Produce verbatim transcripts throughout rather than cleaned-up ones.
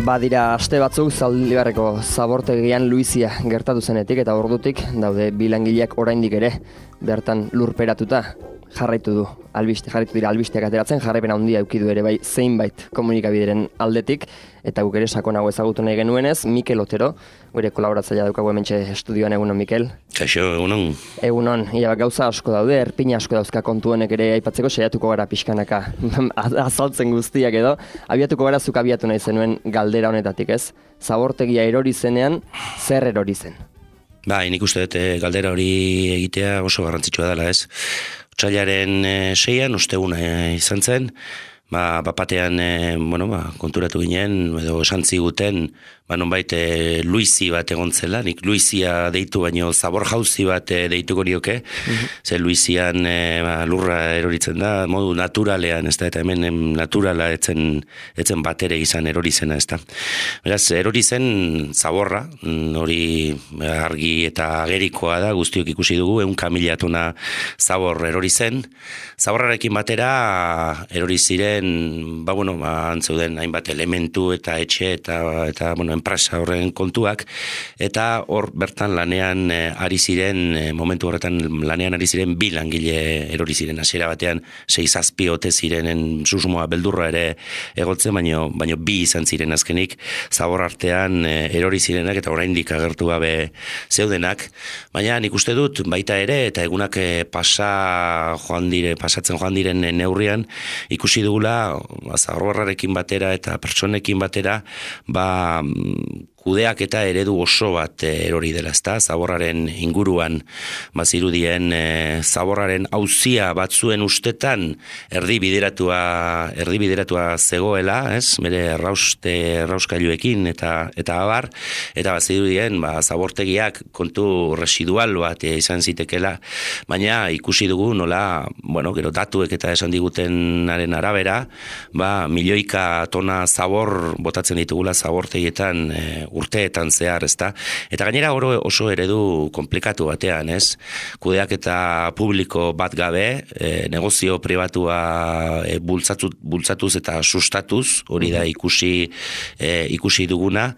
Badira aste batzuk Zaldibarreko zabortegian Luizia gertatu zenetik eta ordutik daude bi langileak oraindik ere bertan lurperatuta jarraitu du. Albiste jarraitu dira albisteak ateratzen, jarraipen handia eduki du ere bai zeinbait komunikabideren aldetik eta guk ere sakonago ezagutu nahi genuenez Mikel Otero, gure kolaboratzailea daukagu hementxe estudioan. Egunon, Mikel. Kaixo, egunon. Egunon, ia gauza asko daude, erpina asko dauzka kontu honek ere aipatzeko, saiatuko gara pixkanaka azaltzen guztiak edo. Abiatuko gara zuk abiatu nahi zenuen galdera honetatik, ez? Zabortegia erori zenean, zer erori zen? Ba, nik uste dut galdera hori egitea oso garrantzitsua dela, ez? Otsailaren e, seian, osteguna e, izan zen, ba, bapatean e, bueno, ba, konturatu ginen, edo esan ziguten, ba, nonbait e, Luizi bat egon zela, nik Luizia deitu baino zabor jauzi bat e, deituko nioke, mm-hmm. Ze Luizian e, ba, lurra eroritzen da, modu naturalean, ez da, eta hemen em, naturala etzen, etzen batere izan erori zena, ez da. Beraz, erori zen zaborra, hori argi eta agerikoa da, guztiok ikusi dugu, ehunka mila tona zabor erori zen, zaborrarekin batera erori ziren, ba, bueno, ba, antzeuden hainbat elementu eta etxe eta, eta bueno, enpresa horren kontuak, eta hor bertan lanean e, ari ziren, e, momentu horretan lanean ari ziren bi langile erori ziren, hasiera batean sei zazpi ote zirenen susmoa beldurra ere egotzen, baino, baino bi izan ziren azkenik, zabor artean e, erori zirenak eta oraindik agertu gabe zeudenak, baina nik uste dut baita ere, eta egunak e, pasa joan dire, pasatzen joan diren neurrian, ikusi dugula zaborrarekin batera eta pertsonekin batera, ba kudeak eta eredu oso bat erori dela, ezta? Zaborraren inguruan bazirudien e, zaborraren auzia batzuen ustetan erdi bideratua erdi bideratua zegoela, ez? Bere errauste errauskailuekin eta eta abar, eta bazirudien ba zabortegiak kontu residual bat izan zitekela, baina ikusi dugu nola, bueno, gero datuek eta esan digutenaren arabera, ba milioika tona zabor botatzen ditugula zabortegietan e, urteetan zehar, ezta? Eta gainera oro oso eredu komplikatu batean, ez? Kudeaketa publiko bat gabe, e, negozio pribatua e, bultzatu, bultzatuz eta sustatuz, hori da ikusi e, ikusi duguna,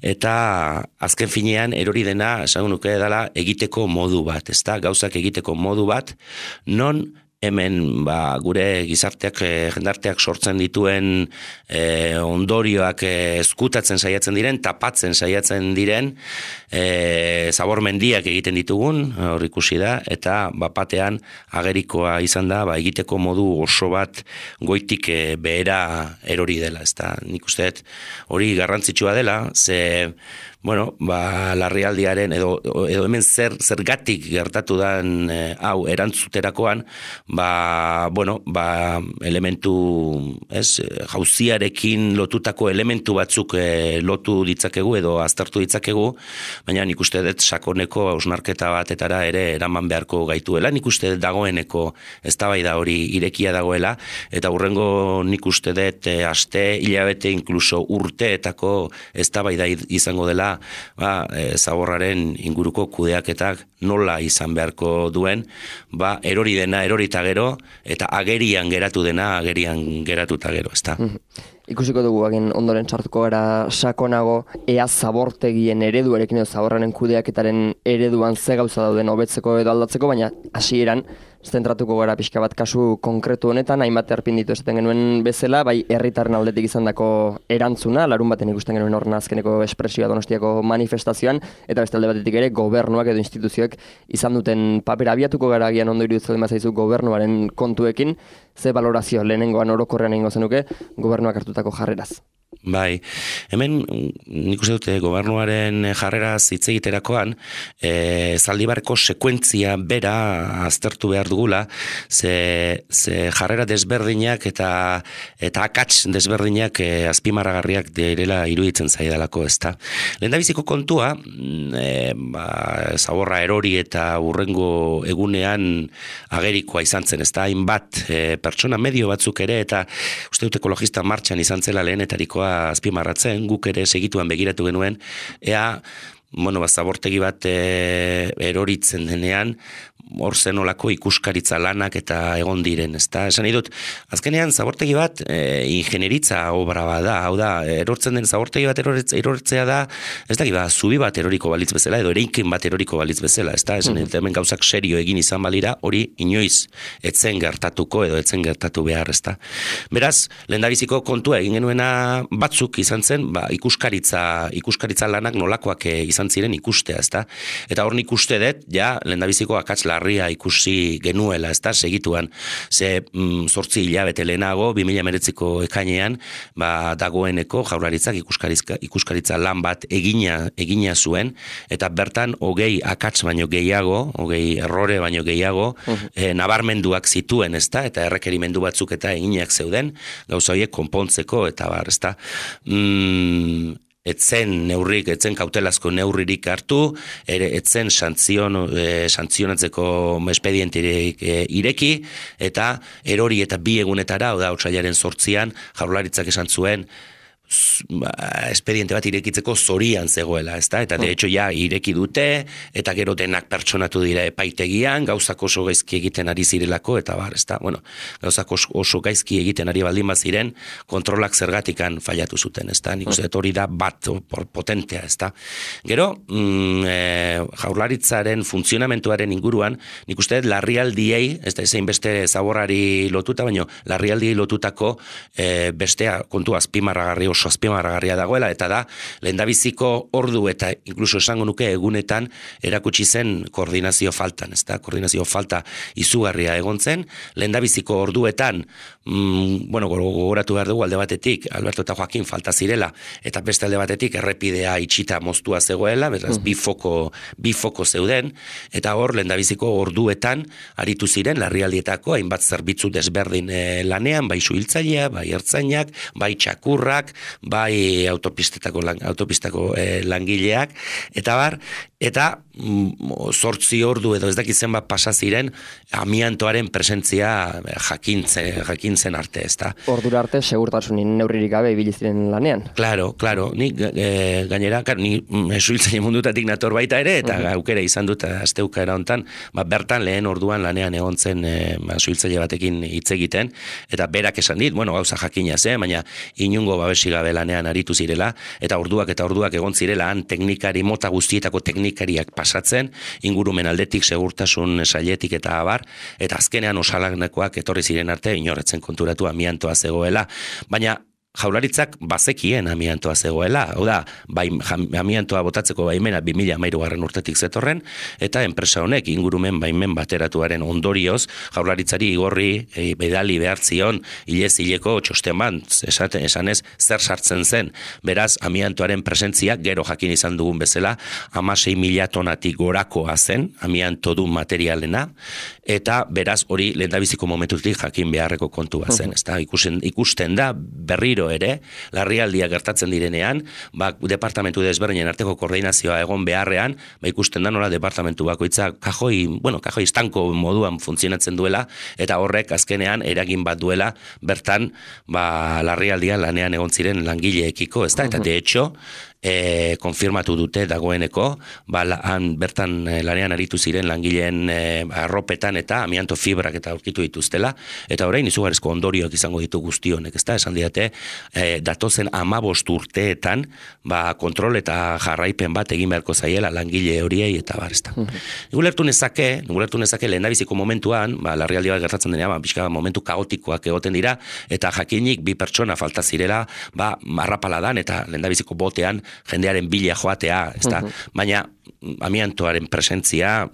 eta azken finean erori dena, esan nuke dela, egiteko modu bat, ezta? Gauzak egiteko modu bat, non hemen ba, gure gizarteak, e, jendarteak sortzen dituen e, ondorioak e, ezkutatzen saiatzen diren, tapatzen saiatzen diren, e, zabor mendiak egiten ditugun, hor ikusi da, eta bapatean agerikoa izan da, ba, egiteko modu oso bat goitik e, behera erori dela, ezta. Nik uste hori garrantzitsua dela, ze bueno, ba, larrialdiaren edo, edo hemen zer zergatik gertatu dan e, hau erantzuterakoan, ba, bueno, ba, elementu, ez, jauziarekin lotutako elementu batzuk e, lotu ditzakegu edo aztertu ditzakegu, baina nik uste dut sakoneko hausnarketa batetara ere eraman beharko gaituela, nik uste dut dagoeneko eztabaida hori irekia dagoela, eta hurrengo nik uste dut e, aste, hilabete, inkluso urteetako eztabaida izango dela, ba, e, zaborraren inguruko kudeaketak nola izan beharko duen, ba, erori dena erorita gero, eta agerian geratu dena agerian geratuta gero, ezta? Mm-hmm. Ikusiko dugu agin ondoren sartuko gara sakonago ea zabortegien ereduarekin edo zaborraren kudeaketaren ereduan ze gauza dauden hobetzeko edo aldatzeko, baina hasieran zentratuko gara pixka bat kasu konkretu honetan, hainbat erpin ditu esaten genuen bezala, bai herritarren aldetik izandako erantzuna, larun baten ikusten genuen horren azkeneko espresioa Donostiako manifestazioan, eta beste alde batetik ere gobernuak edo instituzioek izan duten papera. Abiatuko gara agian ondo iruditzen mazaizu gobernuaren kontuekin, ze balorazio lehenengoan orokorrean egingo zenuke gobernuak hartutako jarreraz? Bai, hemen nik uste dute gobernuaren jarreraz hitz egiterakoan e, Zaldibarreko sekuentzia bera aztertu behar dugula, ze, ze jarrera desberdinak eta eta akats desberdinak e, azpimarragarriak direla iruditzen zaidalako, ezta. Lehendabiziko kontua, e, ba, zaborra erori eta urrengo egunean agerikoa izan zen, ezta, hainbat e, pertsona medio batzuk ere, eta uste dut ekologista martxan izan zela lehenetarikoa azpimarratzen, guk ere segituan begiratu genuen, ea, bueno, ba, zabortegi bat e, eroritzen denean, hor zenolako ikuskaritza lanak eta egon diren, ezta? Esan nahi dut, azkenean zabortegi bat e, ingenieritza obra bada, hau da, erortzen den zabortegi bat erortzea da, ez da, ba, zubi bat eroriko balitz bezala, edo ereinkin bat eroriko balitz bezala, ezta? Esan nahi dut, hemen gauzak serio egin izan balira, hori inoiz etzen gertatuko edo etzen gertatu behar, ezta? Beraz, lehendabiziko kontua egin genuena batzuk izan zen, ba, ikuskaritza, ikuskaritza lanak nolakoak izan ziren ikustea, ezta? Eta hor nik uste dut, ja, lehendabiziko akats larria ikusi genuela, ezta, segituan, ze mm, zortzi hilabete lehenago, bi mila hemeretziko ekainean, ba, dagoeneko jaurlaritzak ikuskaritza, ikuskaritza lan bat egina, egina zuen, eta bertan hogei akats baino gehiago, hogei errore baino gehiago, uh-huh. e, nabarmenduak zituen, ezta, eta errekerimendu batzuk eta eginak zeuden, gauza horiek konpontzeko, eta bar, ezta, mm, etzen neurrik, etzen kautelazko neurririk hartu, ere etzen santzion, e, santzionatzeko espedienterik e, ireki, eta erori eta bi egunetara, oda, otsailaren zortzian, jaurlaritzak esan zuen, espediente bat irekitzeko zorian zegoela, ezta? Eta de hecho ja ireki dute, eta gero denak pertsonatu dira epaitegian, gauzak oso gaizki egiten ari zirelako, eta bar, ezta? Bueno, gauzak oso gaizki egiten ari baldin baziren, kontrolak zergatikan fallatu zuten, ezta? Nik uste hori da bat potentea, ezta? Gero, mm, e, jaurlaritzaren funtzionamentuaren inguruan, nik uste larrialdiei, ez da ezein beste zaborrari lotuta, baino larrialdiei lotutako e, bestea kontu azpimarragarri oso azpimarragarria dagoela, eta da, lehendabiziko ordu eta inkluso esango nuke egunetan erakutsi zen koordinazio faltan, ezta? Koordinazio falta izugarria egon zen, lehendabiziko orduetan, mm, bueno, gogoratu behar dugu alde batetik, Alberto eta Joaquin falta zirela, eta beste alde batetik errepidea itxita moztua zegoela, beraz, mm. bi foko, bi foko zeuden, eta hor, lehendabiziko orduetan aritu ziren, larrialdietako, hainbat zerbitzu desberdin eh, lanean, bai suhiltzailea, bai ertzainak, bai txakurrak, bai autopistetako, autopistako eh, langileak, eta bar, eta zortzi mm, ordu edo ez dakit zenbat pasa ziren amiantoaren presentzia jakintzen, jakintzen arte, ezta. Ordura arte segurtasunin neurririk gabe ibili ziren lanean. Claro, claro, ni e, gainera, claro, ni suhiltzaile mundutatik nator baita ere, eta uh-huh. aukera izan dut asteukaera hontan, ba, bertan lehen orduan lanean egon zen e, ba, suhiltzaile batekin hitz egiten, eta berak esan dit, bueno, gauza jakina ze, baina inungo babesi gabe lanean aritu zirela, eta orduak eta orduak egon zirela han teknikari, mota guztietako teknikariak pasatzen, ingurumen aldetik, segurtasun sailetik eta abar, eta azkenean osalanekoak etorri ziren arte, inorretzen konturatu amiantoa zegoela, baina jaurlaritzak bazekien amiantoa zegoela, hau da, bai, amiantoa botatzeko baimena bi mila hamairugarren urtetik zetorren, eta enpresa honek ingurumen baimen bateratuaren ondorioz, jaurlaritzari igorri e, bedali behar zion, hilez hileko txosten bat, esaten, esanez, zer sartzen zen, beraz, amiantoaren presentzia, gero jakin izan dugun bezala, hamasei mila tonatik gorakoa zen, amianto du materialena, eta beraz, hori lehendabiziko momentutik jakin beharreko kontua zen, uh-huh. ezta, ikusten, ikusten da, berriro ere, larrialdia gertatzen direnean, ba, departamentu desberdinen arteko koordinazioa egon beharrean, ba, ikusten da nola departamentu bakoitza kajoi, bueno, kajoi estanko moduan funtzionatzen duela, eta horrek azkenean eragin bat duela, bertan, ba, larrialdia lanean egon ziren langileekiko, ezta, eta de hecho, E, konfirmatu dute dagoeneko, ba, han bertan e, lanean aritu ziren langileen e, arropetan eta amianto fibrak eta aurkitu dituztela, eta orain izugarrizko ondorioak izango ditu guzti honek, ezta, esan diate, e, datozen hamabost urteetan, ba, kontrol eta jarraipen bat egin beharko zaiela langile horiei eta bar, ezta. Nugulertu nezake, nugulertu nezake lehendabiziko momentuan, ba, larrialdi bat gertatzen denean, ba, pixka momentu kaotikoak egoten dira, eta jakinik bi pertsona falta zirela, ba, marrapaladan eta lehendabiziko botean jendearen bila joatea, ezta? Baina amiantoaren presentzia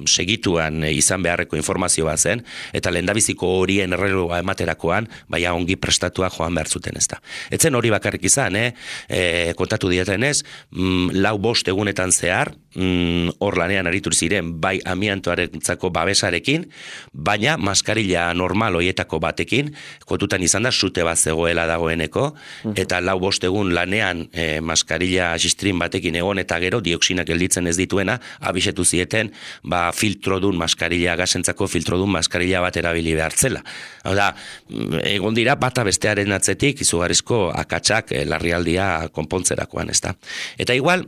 segituan izan beharreko informazio bat zen, eta lehendabiziko horien erreloa ematerakoan, baina ongi prestatua joan behar zuten, ezta. Etzen hori bakarrik izan, eh? E, kontatu dietenez, mm, lau bost egunetan zehar, mm, hor lanean aritu ziren, bai amiantoarentzako babesarekin, baina maskarilla normal hoietako batekin, kontutan izan da, sute bat zegoela dagoeneko, eta lau bost egun lanean e, maskarilla xistrin batekin egon, eta gero dioksinak gelditzen ez dituena, abisetu zieten, ba, filtrodun maskarilla, gasentzako filtrodun maskarilla bat erabili behartzela. Hau da, egon dira, bata bestearen atzetik, izugarrizko akatsak e, larrialdia konpontzerakoan, ez da. Eta igual,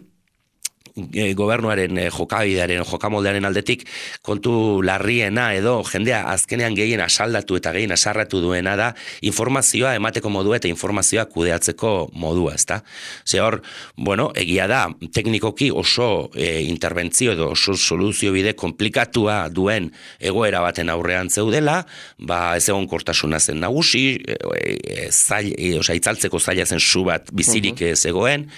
gobernuaren jokabidearen, jokamoldearen aldetik kontu larriena edo jendea azkenean gehien asaldatu eta gehien asarratu duena da informazioa emateko modua eta informazioa kudeatzeko modua, ezta? Ze hor, bueno, egia da, teknikoki oso e, interbentzio edo oso soluzio bide komplikatua duen egoera baten aurrean zeudela, ba ez egon kortasuna zen nagusi, e, e, zail, e, oza, itzaltzeko zaila zen su bat bizirik uh-huh. zegoen,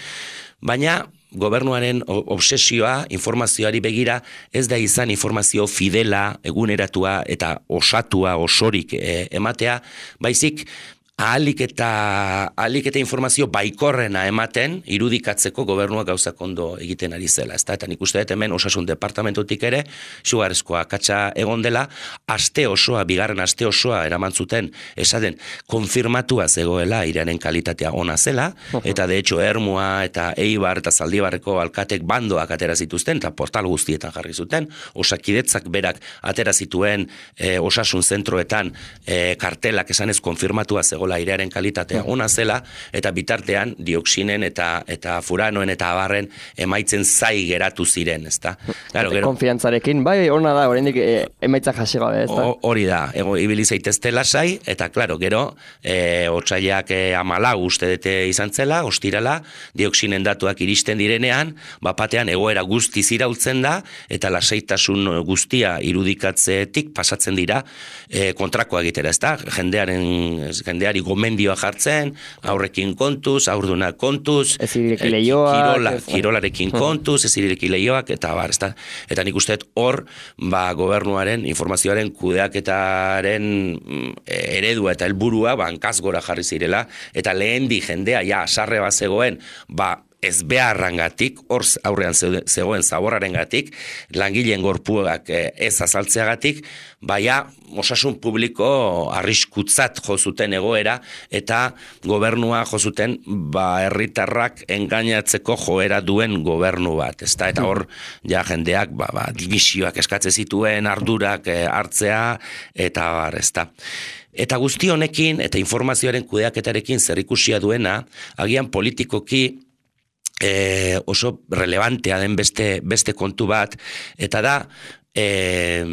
baina gobernuaren obsesioa informazioari begira ez da izan informazio fidela, eguneratua eta osatua, osorik e, ematea, baizik ahalik eta, ahalik eta informazio baikorrena ematen irudikatzeko gobernuak gauzak ondo egiten ari zela. Ezta? Eta nik uste dut hemen osasun departamentutik ere, sugarezkoa akatsa egon dela, aste osoa, bigarren aste osoa eraman zuten esaten konfirmatua zegoela iraren kalitatea ona zela, eta de hecho Ermua eta Eibar eta Zaldibarreko alkatek bandoak atera zituzten, eta portal guztietan jarri zuten, osakidetzak berak atera zituen e, osasun zentroetan e, kartelak esanez konfirmatua zegoela airearen kalitatea ona zela, eta bitartean dioksinen eta eta furanoen eta abarren emaitzen zai geratu ziren, ezta? Claro, gero konfiantzarekin, bai, ona da, oraindik e, emaitza jasi gabe, ezta? Hori da, ego ibili zaitezte lasai, eta claro, gero e, otsaiak e, hamalau uste dute izan zela, ostirala, dioksinen datuak iristen direnean, bapatean egoera guztiz iraultzen da, eta lasaitasun guztia irudikatzetik pasatzen dira e, kontrakoa egitera, ezta? Jendearen, jendeari gomendioa jartzen, aurrekin kontuz, aurdunak kontuz, ezireki leioak, kirola, kirolarekin kontuz, ezireki leioak, eta bar, ezta? Eta nik uste hor, ba, gobernuaren, informazioaren kudeaketaren eredua eta helburua bankaz gora jarri zirela, eta lehen di jendea, ja, sarre bat zegoen, ba, ez beharrangatik, hor aurrean zegoen zaborrarengatik, langileen gorpuak ez azaltzeagatik, baina osasun publiko arriskutzat jo zuten egoera, eta gobernua jo zuten ba, herritarrak engainatzeko joera duen gobernu bat. Ezta? Eta hor, ja jendeak ba, ba, dimisioak eskatze zituen, ardurak hartzea, eta bar, ezta. Eta guzti honekin, eta informazioaren kudeaketarekin zerikusia duena, agian politikoki E, oso relevantea den beste, beste kontu bat, eta da e,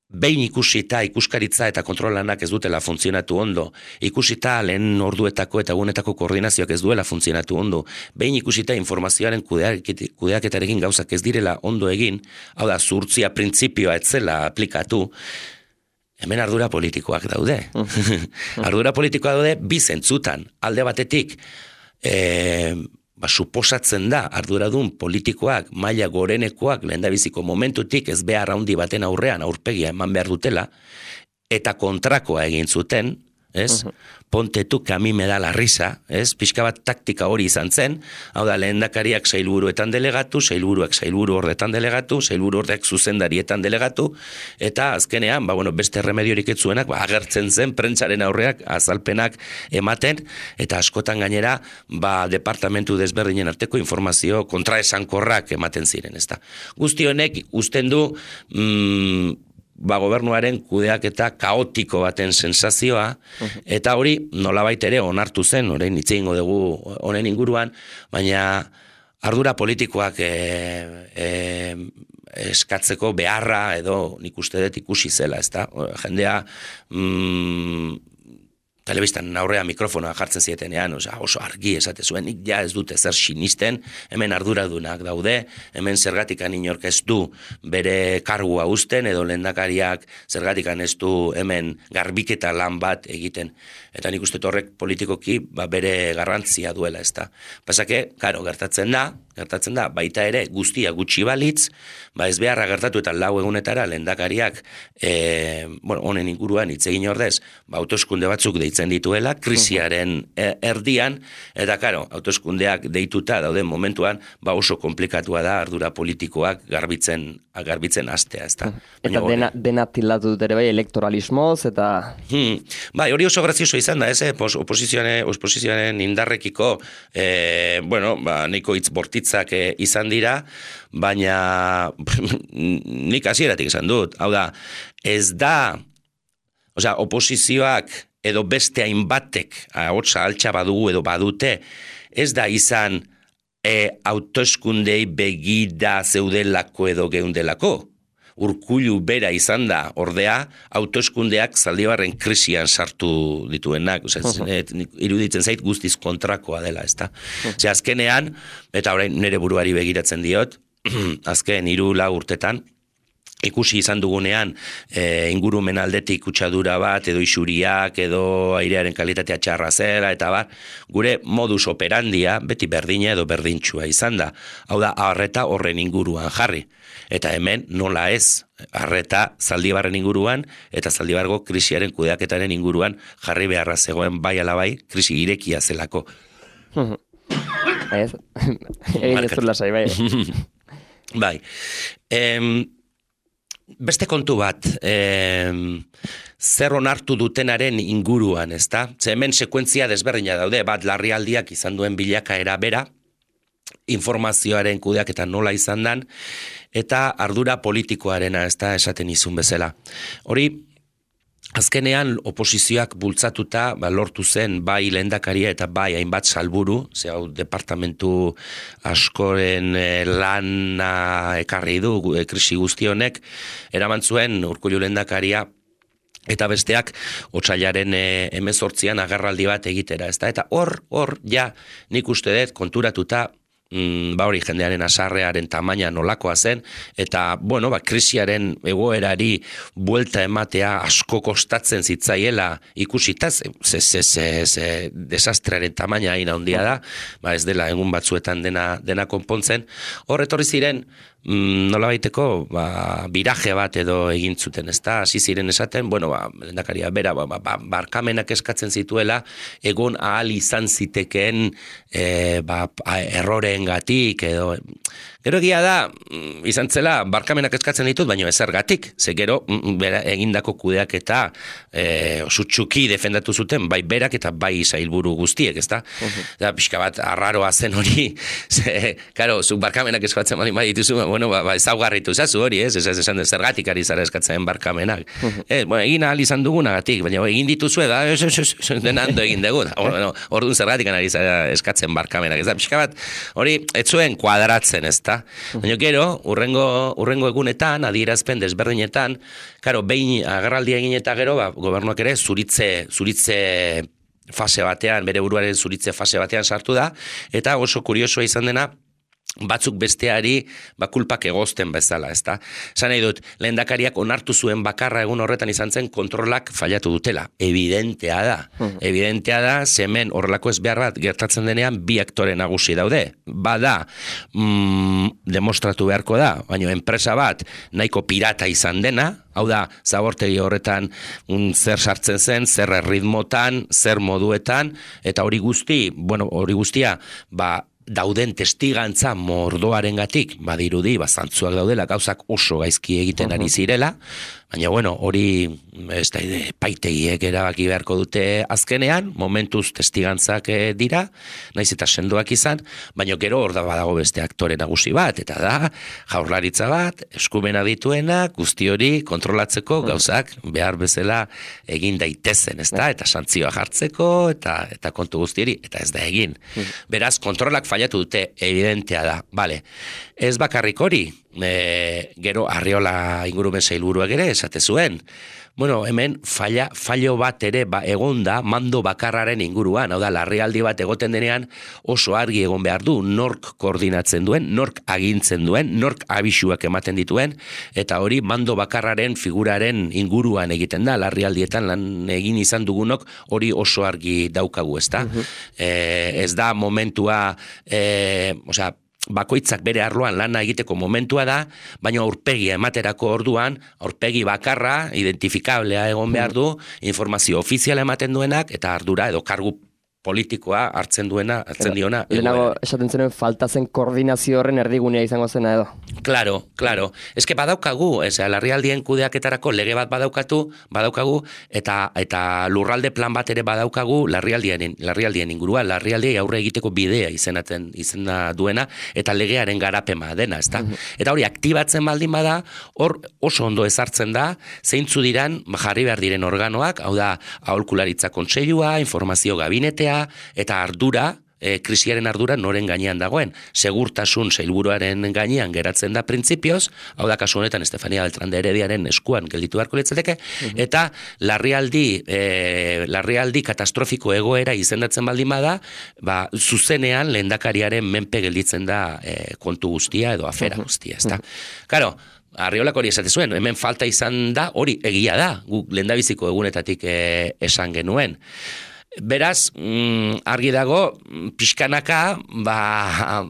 behin ikusita, ikuskaritza eta kontrolanak ez dutela funtzionatu ondo, ikusita lehen orduetako eta egunetako koordinazioak ez duela funtzionatu ondo, behin ikusita informazioaren kudeaketarekin gauzak ez direla ondo egin, hau da, zuhurtzia printzipioa etzela aplikatu, hemen ardura politikoak daude. Ardura politikoak daude bi zentzutan, alde batetik, e, ba, suposatzen da arduradun politikoak, maila gorenekoak lehendabiziko momentutik ez behar handi baten aurrean aurpegia eman behar dutela, eta kontrakoa egin zuten, ez? Uh-huh. Ponte tu que a mí me da la risa, ez? Pixka bat taktika hori izan zen, hau da, lehendakariak sailburuetan delegatu, sailburuak sailburu horretan delegatu, sailburu horrek zuzendarietan delegatu, eta azkenean, ba, bueno, beste remediorik ez zuenak, ba, agertzen zen prentsaren aurreak azalpenak ematen, eta askotan gainera, ba, departamentu desberdinen arteko informazio kontraesankorrak ematen ziren, ezta. Guzti honek, usten du, mm, ba, gobernuaren kudeaketa kaotiko baten sensazioa, uh-huh. eta hori nolabait ere onartu zen, orain hitz egingo dugu honen inguruan, baina ardura politikoak e, e, eskatzeko beharra edo nik uste dut ikusi zela, ezta? Jendea mm, telebistan aurrea mikrofonoa jartzen zietenean, oza, oso argi esate zuen, nik ja ez dute zer sinisten, hemen arduradunak daude, hemen zergatikan inork ez du bere kargua uzten, edo lehendakariak zergatikan ez du hemen garbiketa lan bat egiten. Eta nik uste horrek politikoki ba, bere garrantzia duela, ez da. Pasake, karo, gertatzen da, gertatzen da, baita ere guztia gutxi balitz, ba ez beharra gertatu eta lau egunetara lehendakariak e, bueno, honen inguruan hitz egin ordez, ba, autoskunde batzuk deitzen dituela, krisiaren erdian, eta karo, autoskundeak deituta dauden momentuan, ba oso komplikatua da ardura politikoak garbitzen, garbitzen astea, ez da. Eta dena, dena tildatu dut ere bai, elektoralismoz, eta... Hmm. Bai, hori oso grazioso izan da, ez, eh? Oposizioaren, oposizioaren indarrekiko, eh, bueno, ba, nahiko hitz bortitzak eh, izan dira, baina nik hasieratik esan dut, hau da, ez da, osea, oposizioak edo beste hainbatek, ahotsa altxa badugu edo badute, ez da izan e, autoeskundei begida zeudelako edo geundelako. Urkullu bera izan da, ordea, autoeskundeak Zaldibarren krisian sartu dituenak, osea, uh-huh. iruditzen zait guztiz kontrakoa dela, ezta. Uh-huh. Osea, azkenean, eta orain nire buruari begiratzen diot, azken hiru lau urtetan, ikusi izan dugunean e, ingurumen aldetik kutsadura bat, edo isuriak, edo airearen kalitatea txarra zera, eta bar, gure modus operandia beti berdina edo berdintxua izan da. Hau da, arreta horren inguruan jarri. Eta hemen nola ez, arreta Zaldibarren inguruan, eta Zaldibargo krisiaren kudeaketaren inguruan jarri beharra zegoen bai ala bai, krisi irekia zelako. Ez, egin ez zula zai, bai. Bai. Em, Beste kontu bat, eh, zer onartu dutenaren inguruan, ezta? Ze hemen sekuentzia desberdina daude, bat larrialdiak izan duen bilakaera bera, informazioaren kudeak eta nola izan dan, eta ardura politikoarena, ezta, esaten izun bezala. Hori, azkenean oposizioak bultzatuta ba, lortu zen bai lehendakaria eta bai hainbat salburu, ze hau departamentu askoren e, lana ekarri du e, krisi guzti honek, eraman zuen Urkullu lehendakaria eta besteak otsailaren e, hemezortzian agerraldi bat egitera, ezta? Eta hor, hor, ja, nik uste dut konturatuta Mm, ba hori jendearen asarrearen tamaina nolakoa zen, eta, bueno, ba, krisiaren egoerari buelta ematea asko kostatzen zitzaiela ikusita, ze, ze, ze, ze, ze desastrearen tamaina hain handia da, ba ez dela egun batzuetan dena, dena konpontzen, hor etorri ziren, Mm, nola baiteko, ba, biraje bat edo egin zuten, ez da, hasi ziren esaten, bueno, ba, lehendakaria bera, ba, ba, barkamenak eskatzen zituela, egon ahal izan zitekeen e, ba, erroreen gatik, edo, gero egia da, izan zela, barkamenak eskatzen ditut, baina ezergatik, ze gero, bera, egindako kudeak eta e, sutsuki defendatu zuten, bai berak eta bai sailburu guztiek, ez da, uh-huh. Da, pixka bat, arraroa zen hori, ze, karo, zuk barkamenak eskatzen bali badituzu, bueno, ba, ba ezaugarritu zazu hori, ez? Ez ez esan zergatik ari zara eskatzen barkamenak. Uh-huh. Eh, bueno, egin ahal izan dugunagatik, baina egin dituzue da, ez, ez, ez, denando egin dugu. Bueno, orduan zergatik ari zara eskatzen barkamenak. Ez da, pixka bat, hori, ez zuen kuadratzen, ez da? Uh-huh. Baina gero, urrengo, urrengo egunetan, adierazpen desberdinetan, karo, behin agerraldia egin eta gero, ba, gobernuak ere, zuritze, zuritze fase batean, bere buruaren zuritze fase batean sartu da, eta oso kuriosoa izan dena, batzuk besteari ba kulpak egozten bezala, ezta? Esan nahi dut, lehendakariak onartu zuen bakarra egun horretan izan zen kontrolak fallatu dutela. Evidentea da. Uh-huh. Evidentea da, zemen horrelako ez behar bat gertatzen denean bi aktore nagusi daude. Bada, mm, demostratu beharko da, baina enpresa bat nahiko pirata izan dena, hau da, zabortegi horretan un, zer sartzen zen, zer erritmotan, zer moduetan, eta hori guzti, bueno, hori guztia, ba, dauden testigantza mordoarengatik badirudi, bazantzuak daudela, gauzak oso gaizki egiten ari zirela, baina bueno, hori ez da paitegiek erabaki beharko dute azkenean, momentuz testigantzak dira, naiz eta sendoak izan, baina gero hor da badago beste aktore nagusi bat, eta da, jaurlaritza bat, eskumena dituena, guzti hori kontrolatzeko gauzak behar bezala egin daitezen, ez da, eta santzioa jartzeko, eta, eta kontu guzti hori, eta ez da egin. Beraz, kontrolak fallatu dute, evidentea da, bale, ez bakarrik hori, e, gero Arriola ingurumen sailburuak ere, esate zuen. Bueno, hemen falla, fallo bat ere ba, egon da mando bakarraren inguruan, hau da, larrialdi bat egoten denean oso argi egon behar du, nork koordinatzen duen, nork agintzen duen, nork abisuak ematen dituen, eta hori mando bakarraren figuraren inguruan egiten da, larrialdietan lan egin izan dugunok hori oso argi daukagu, ezta? Uh-huh. eh, ez da momentua, eh, osea, bakoitzak bere arloan lana egiteko momentua da, baina aurpegia ematerako orduan, aurpegi bakarra, identifikablea egon behar du, informazio ofiziala ematen duenak, eta ardura edo kargu politikoa hartzen duena, hartzen diona. Lehenago, esaten zenuen, falta zen koordinazio horren erdigunea izango zena edo. Claro, claro. Ez que badaukagu, ez, larrialdien kudeaketarako lege bat badaukatu, badaukagu, eta eta lurralde plan bat ere badaukagu larrialdien, larrialdien ingurua, larrialdiei aurre egiteko bidea izenaten izena duena, eta legearen garapema dena, ezta? Uh-huh. Eta hori aktibatzen baldin bada, hor oso ondo ezartzen da, zeintzu diran jarri behar diren organoak, hau da, aholkularitza kontseilua, informazio gabinetea, eta ardura, e, krisiaren ardura noren gainean dagoen. Segurtasun sailburuaren gainean geratzen da printzipioz, hau da kasu honetan Estefania Beltrán de Herediaren eskuan gelditu beharko litzateke, uh-huh. eta larrialdi, e, larrialdi katastrofiko egoera izendatzen baldin bada, ba, zuzenean lehendakariaren menpe gelditzen da e, kontu guztia edo afera uh-huh. guztia, ezta? Uh-huh. Karo, Arriolak hori esate zuen, hemen falta izan da, hori egia da, guk lehendabiziko egunetatik e, esan genuen. Beraz, mm, argi dago, pixkanaka, ba,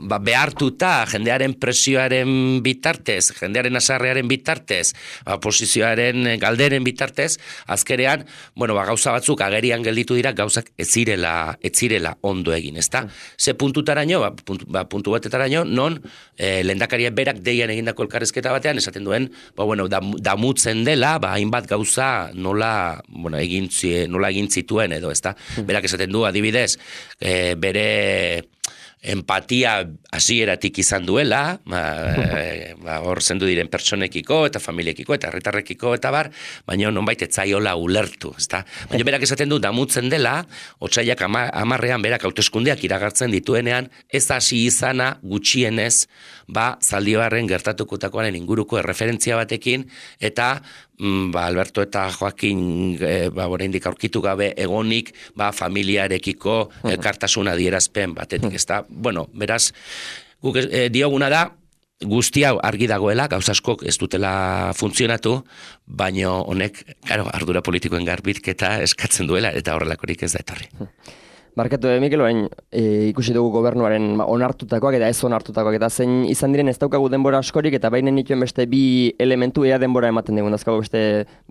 ba behartuta, jendearen presioaren bitartez, jendearen asarrearen bitartez, ba, posizioaren galderen bitartez, azkerean, bueno, ba, gauza batzuk agerian gelditu dira, gauzak ez zirela, ez zirela ondo egin, ezta? Ze puntutaraino, ba, puntu, ba, puntu batetaraino, non, eh, lehendakaria berak deian egindako elkarrezketa batean, esaten duen, ba, bueno, dam, damutzen dela, ba, hainbat gauza nola, bueno, egin, nola egin zituen edo, ezta? Berak esaten du, adibidez, e, bere empatia hasieratik izan duela, ba, e, ba, hor zendu diren pertsonekiko eta familiekiko eta herritarrekiko eta bar, baina nonbait ez zaiola ulertu, ezta? Baina berak esaten du, damutzen dela, otsailak ama, amarrean berak hauteskundeak iragartzen dituenean, ez hasi izana gutxienez, ba, Zaldibarren gertatukutakoaren inguruko erreferentzia batekin, eta ba, Alberto eta Joaquin e, ba, oraindik aurkitu gabe egonik ba, familiarekiko elkartasun adierazpen batetik, ezta? Bueno, beraz, guk e, dioguna da, guzti hau argi dagoela, gauza askok ez dutela funtzionatu, baina honek, claro, ardura politikoen garbitketa eskatzen duela, eta horrelakorik ez da etorri. Barkatu, Mikel, orain e, ikusi dugu gobernuaren onartutakoak eta ez onartutakoak, eta zein izan diren ez daukagu denbora askorik, eta baina nituen beste bi elementu ea denbora ematen dugun, dauzkagu beste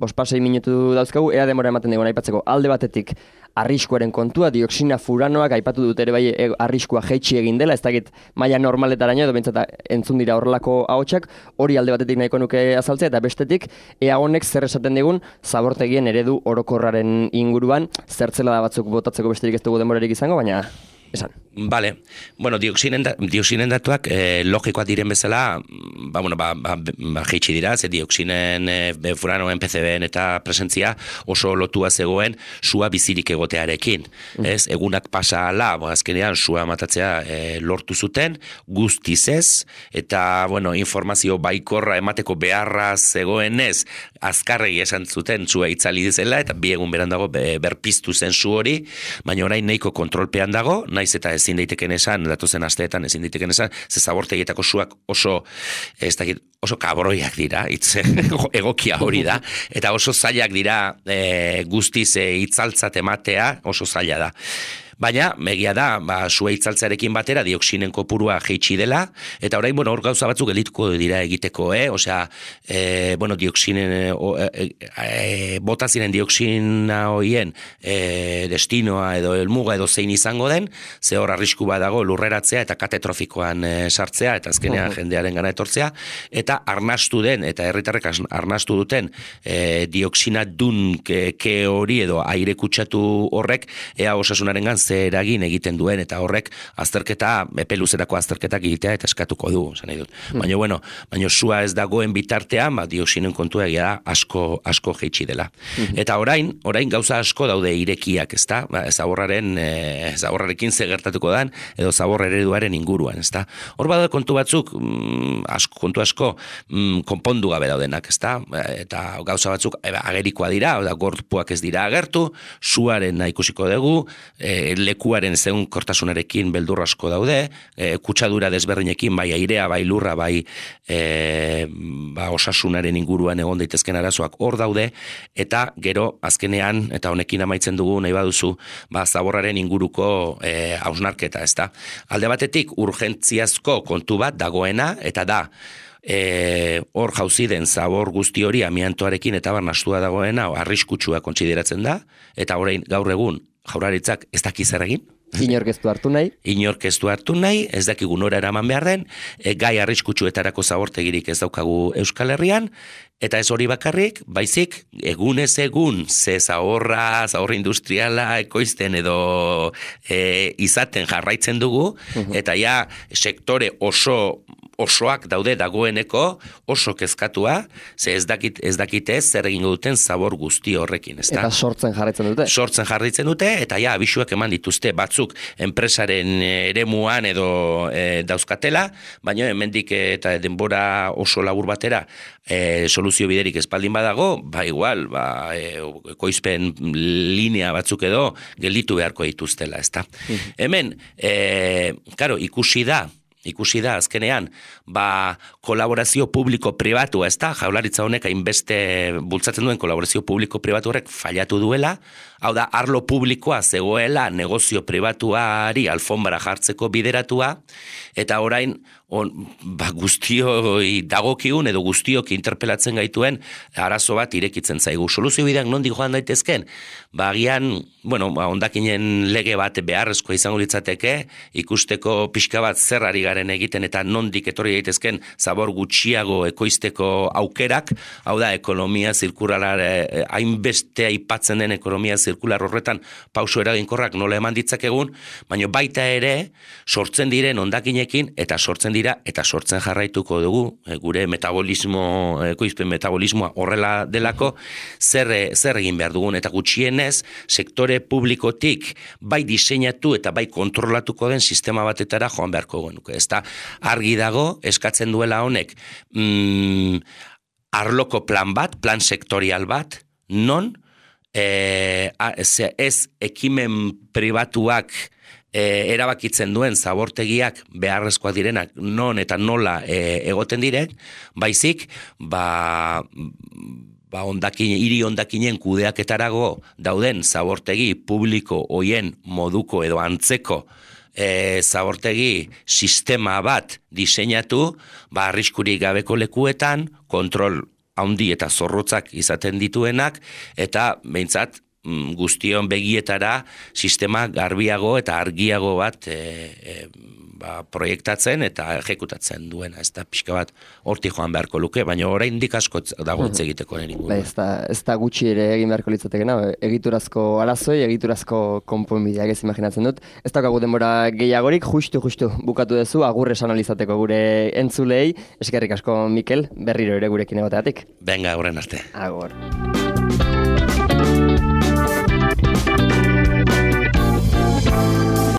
bospasei minutu dauzkagu, ea denbora ematen dugun, aipatzeko alde batetik arriskuaren kontua, dioxina furanoak, aipatu dut ere bai e, arriskua jeitsi egin dela, ez dakit maila normaletaraino, edo behintzat entzun dira horrelako ahotsak, hori alde batetik nahiko nuke azaltzea, eta bestetik, ea honek zer esaten digun, zabortegien eredu orokorraren inguruan, zertzela da batzuk botatzeko besterik ez dugu denborarik izango, baina esan. Vale. Bueno, dioxinen, da, dioxinen datuak eh, logikoak diren bezala, ba, bueno, ba, ba, ba jeitsi dira, ze dioxinen, e, furanoen, P C B-en eta presentzia oso lotua zegoen sua bizirik egotearekin. Mm. Ez, egunak pasa ala, bo, azkenean sua matatzea e, lortu zuten, guztiz ez, eta, bueno, informazio baikorra emateko beharra zegoenez, azkarregi esan zuten sua itzali dizela, eta bi egun beran dago be, berpiztu zen su hori, baina orain nahiko kontrolpean dago, naiz eta ezin daiteken esan, datozen asteetan ezin daiteken esan, ze zabortegietako suak oso, ez dakit, oso kabroiak dira, hitz egokia hori da, eta oso zailak dira e, guztiz e, itzaltzat ematea, oso zaila da. Baina, megia da, ba, sua itzaltzarekin batera dioxinen kopurua jeitsi dela, eta orain, bueno, hor gauza batzuk gelituko dira egiteko, eh? Osea, e, bueno, dioxinen, e, e, e, bota ziren dioxina hoien e, destinoa edo helmuga edo zein izango den, ze hor arrisku badago lurreratzea eta katetrofikoan e, sartzea, eta azkenean uh-huh. jendearen gana etortzea, eta arnastu den, eta herritarrek arnastu duten e, dioxina dun ke, ke hori edo aire kutsatu horrek, ea osasunaren gan ze eragin egiten duen, eta horrek azterketa, epe luzerako azterketak egitea eta eskatuko du, esan nahi dut. Mm. Baina, bueno, baina sua ez dagoen bitartean, ba, dioxinen kontua egia da, asko, asko jeitsi dela. Mm-hmm. Eta orain, orain gauza asko daude irekiak, ezta? Ba, zaborraren, e, zaborrarekin ze gertatuko dan, edo zabor ereduaren inguruan, ezta? Hor badaude kontu batzuk, mm, asko, kontu asko, mm, konpondu gabe daudenak, ezta? Eta gauza batzuk eba, agerikoa dira, oda, gorpuak ez dira agertu, suaren ikusiko dugu, e, lekuaren zeun kortasunarekin beldur asko daude, e, kutsadura desberdinekin, bai airea, bai lurra, bai e, ba, osasunaren inguruan egon daitezken arazoak hor daude, eta gero azkenean, eta honekin amaitzen dugu nahi baduzu, ba, zaborraren inguruko e, hausnarketa, ezta? Alde batetik urgentziazko kontu bat dagoena, eta da, E, hor jauzi den zabor guzti hori amiantoarekin eta barnastua dagoena arriskutsua kontsideratzen da, eta orain gaur egun jaurlaritzak ez daki zer egin. Inork ez du hartu nahi. Inork ez du hartu nahi, ez dakigu nora eraman behar den, e, gai arriskutsuetarako zabortegirik ez daukagu Euskal Herrian, eta ez hori bakarrik, baizik, egunez egun, ze zaborra, zabor industriala, ekoizten edo e, izaten jarraitzen dugu, uh-huh. eta ja, sektore oso osoak daude dagoeneko, oso kezkatua, ze ez dakit ez dakite zer egingo duten zabor guzti horrekin, ezta? Eta sortzen jarraitzen dute. Sortzen jarraitzen dute, eta ja, abisuak eman dituzte batzuk enpresaren eremuan edo e, dauzkatela, baina hemendik eta denbora oso labur batera e, soluzio biderik espaldin badago, ba igual, ba, e, ekoizpen linea batzuk edo gelditu beharko dituztela, ezta? Mm. Hemen, e, karo, ikusi da, ikusi da azkenean, ba, kolaborazio publiko-pribatua, ez da, jaurlaritza honek hainbeste bultzatzen duen kolaborazio publiko-pribatu horrek fallatu duela, hau da, arlo publikoa zegoela negozio pribatuari alfombara jartzeko bideratua, eta orain, on, ba, guztioi dagokigun edo guztiok interpelatzen gaituen arazo bat irekitzen zaigu. Soluzio bideak nondik joan daitezken? Ba, agian, bueno, ba, ondakinen lege bat beharrezkoa izango litzateke, ikusteko pixka bat zer ari garen egiten eta nondik etorri daitezken zabor gutxiago ekoizteko aukerak, hau da, ekonomia zirkular, hainbeste aipatzen den ekonomia zirkular horretan pauso eraginkorrak nola eman ditzakegun, baina baita ere sortzen diren ondakinekin eta sortzen dira eta sortzen jarraituko dugu, e, gure metabolismo, ekoizpen metabolismoa horrela delako, zer, zer egin behar dugun, eta gutxienez sektore publikotik bai diseinatu eta bai kontrolatuko den sistema batetara joan beharko genuke. Ez da, argi dago, eskatzen duela honek, mm, arloko plan bat, plan sektorial bat, non e, ez, ez ekimen pribatuak E, erabakitzen duen zabortegiak beharrezkoak direnak non eta nola e, egoten direk, baizik, ba, ba ondakin, hiri ondakinen kudeaketarago dauden zabortegi publiko hoien moduko edo antzeko e, zabortegi sistema bat diseinatu, ba arriskurik gabeko lekuetan, kontrol handi eta zorrotzak izaten dituenak, eta behintzat, guztion begietara sistema garbiago eta argiago bat e, e, ba, proiektatzen eta ejekutatzen duena, ez da pixka bat hortik joan beharko luke, baina oraindik asko dago hitz egiteko nire inguruan. Ez da, ez da gutxi ere egin beharko litzatekena, egiturazko arazoi, egiturazko konponbideak ez imaginatzen dut. Ez daukagu denbora gehiagorik, justu, justu, bukatu duzu, agur esan alizateko gure entzulei, eskerrik asko Mikel, berriro ere gurekin egoteatik. Benga, horren arte. Agur.